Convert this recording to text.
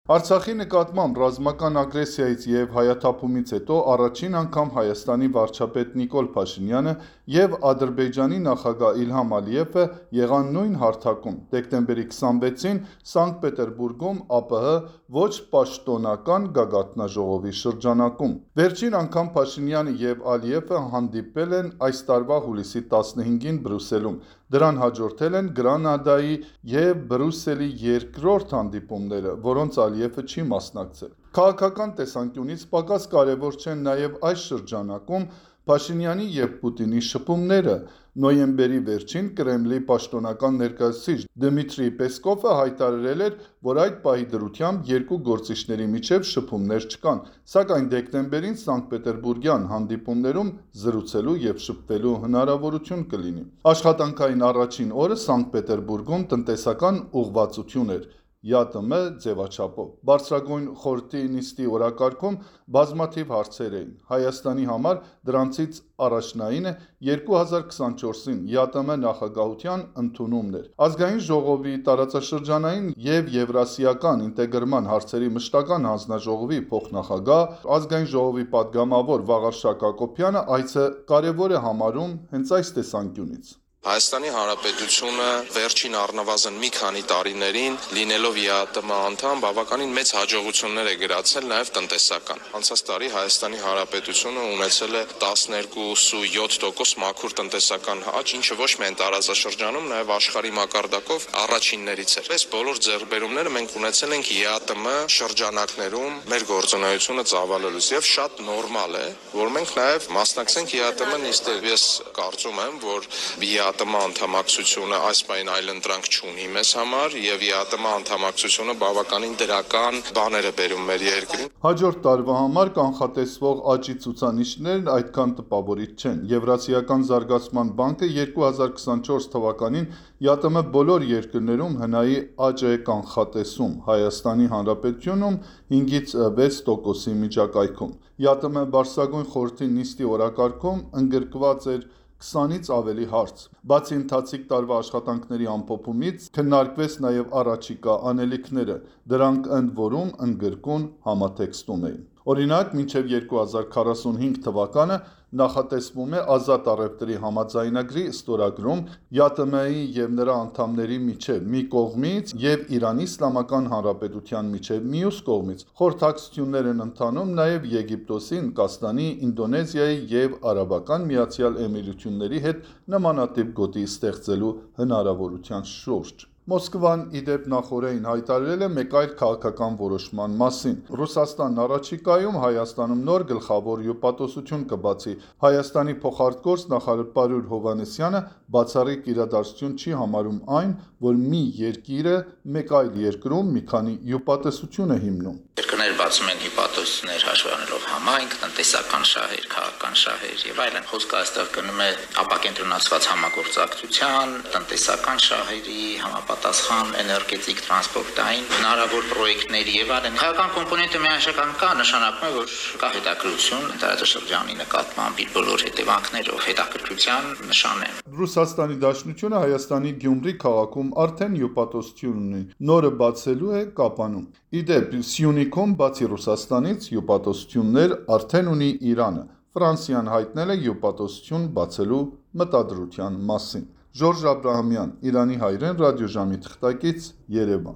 Արցախի նկատմամբ ռազմական ագրեսիայից և հայաթափումից հետո առաջին անգամ Հայաստանի վարչապետ Նիկոլ Փաշինյանը և Ադրբեջանի նախագահ Իլհամ Ալիևը եղան նույն հարթակում դեկտեմբերի 26-ին Սանկտ Պետերբուրգում ԱՊՀ ոչ պաշտոնական գագաթնաժողովի շրջանակում։ Վերջին անգամ Փաշինյանը և Ալիևը հանդիպել են այս տարվա հուլիսի 15-ին Բրյուսելում։ Դրան հաջորդել են Գրանադայի և Բրյուսելի երկրորդ հանդիպումները, որոնց Ալիևը չի մասնակցել։ Քաղաքական տեսանկյունից պակաս կարևոր չեն նաև այս շրջանակում Փաշինյանի և Պուտինի շփումները։ Նոյեմբերի վերջին Կրեմլի պաշտոնական ներկայացուցիչ Դմիտրի Պեսկովը հայտարարել էր, որ այդ պահի դրությամբ երկու գործիչների միջև շփումներ չկան, սակայն դեկտեմբերին սանկտ-պետերբուրգյան հանդիպումներում զրուցելու և շփվելու հնարավորություն կլինի։ Աշխատանքային առաջին օրը Սանկտ Պետերբուրգում տնտեսական ուղղվածություն էր ԵԱՏՄ ձևաչափով։ Բարձրագույն խորհրդի նիստի օրակարգում բազմաթիվ հարցեր էին։ Հայաստանի համար դրանցից առաջնայինը 2024-ին ԵԱՏՄ նախագահության ընդունումն էր։ Ազգային ժողովի տարածաշրջանային և եվրասիական ինտեգրման հարցերի մշտական հանձնաժողովի փոխնախագահ, Ազգային ժողովի падգամավոր Վաղարշակ Հակոբյանը այցը կարևոր է համարում հենց այս տեսանկյունից։ Հայաստանի Հանրապետությունը վերջին առնվազն մի քանի տարիներին լինելով ԵԱՏՄ անդամ բավականին մեծ հաջողություններ է գրացել նաև տնտեսական։ Անցած տարի Հայաստանի Հանրապետությունը ունեցել է 12.7% մաքուր տնտեսական աճ, ինչը ոչ միայն տարածաշրջանում, նաև աշխարհի մակարդակով առաջիններից էր։ Այս բոլոր ձեռքբերումները մենք ունեցել ենք ԵԱՏՄ շրջանակներում մեր գործունեությունը ծավալելուց եւ շատ նորմալ է, որ մենք նաև մասնակցենք ԵԱՏՄ նիստերին։ Ես կարծում եմ, որ ԵԱՏՄ անդամակցությունը այս պահին այլընտրանք չունի մեզ համար եւ ԵԱՏՄ անդամակցությունը բավականին դրական բաներ է բերում մեր երկրին։ Հաջորդ տարվա համար կանխատեսվող աճի ցուցանիշներն այդքան տպավորիչ չեն։ Եվրասիական զարգացման բանկը 2024 թվականին ԵԱՏՄ բոլոր երկրներում հնայի աճ է կանխատեսում, Հայաստանի Հանրապետությունում 5-6%-ի միջակայքում։ ԵԱՏՄ բարձրագույն խորհրդի նիստի օրակարգում ընդգրկված էր 20-ից ավելի հարց։ Բացի ընթացիկ տարվա աշխատանքների ամփոփումից, քննարկվեց նաև առաջիկա անելիքները։ Դրանք ընդ որում ընդգրկուն համատեքստում էին։ Օրինակ, մինչև 2045 թվականը նախատեսվում է ազատ առևտրի համաձայնագրի ստորագրում ԵԱՏՄ-ի և նրա անդամների միջև մի կողմից և Իրանի Իսլամական Հանրապետության միջև մյուս կողմից։ Խորհրդակցություններ են ընթանում նաև Եգիպտոսի, Հնդկաստանի, Ինդոնեզիայի և Արաբական Միացյալ Էմիրությունների հետ նմանատիպ գոտի ստեղծելու հնարավորության շուրջ։ Մոսկվան, ի դեպ, նախօրեին հայտարարել է մեկ այլ քաղաքական որոշման մասին։ Ռուսաստանն առաջիկայում Հայաստանում նոր գլխավոր հյուպատոսություն կբացի։ Հայաստանի փոխարտգործ նախարար Պարուր Հովհաննիսյանը բացառիկ իրադարձություն չի համարում այն, որ մի երկիրը մեկ այլ երկրում մի քանի հյուպատոսություն է հիմնում։ Երկրներ բացում են հյուպատոսություններ հաշվի առնելով համայնք, տնտեսական շահեր, քաղաքական շահեր եւ այլն։ Խոսքը այստեղ գնում է ապակենտրոնացված համագործակցության, տնտեսական շահերի, համապատասխան էներգետիկ, տրանսպորտային հնարավոր պրոյեկտների եւ այլն։ Քաղաքական կոմպոնենտը միանշական կա, նշանակում է, որ կա հետաքրքրություն տարածաշրջանի նկատմամբ իր բոլոր հետևանքներով, հետաքրքրության նշան է։ Ռուսաստանի Դաշնությունը Հայաստանի Գյումրի քաղաքում արդեն հյուպատոսություն ունի, նորը բացելու է Կապանում։ Ի դեպ, Սյունիքում բացի Ռուսաստանից հյուպատոսություններ արդեն ունի Իրանը։ Ֆրանսիան հայտնել է հյուպատոսություն բացելու մտադրության մասին։ Ժորժ Աբրահամյան, Իրանի հայրեն ռադիոժամի թղթակից, Երևան։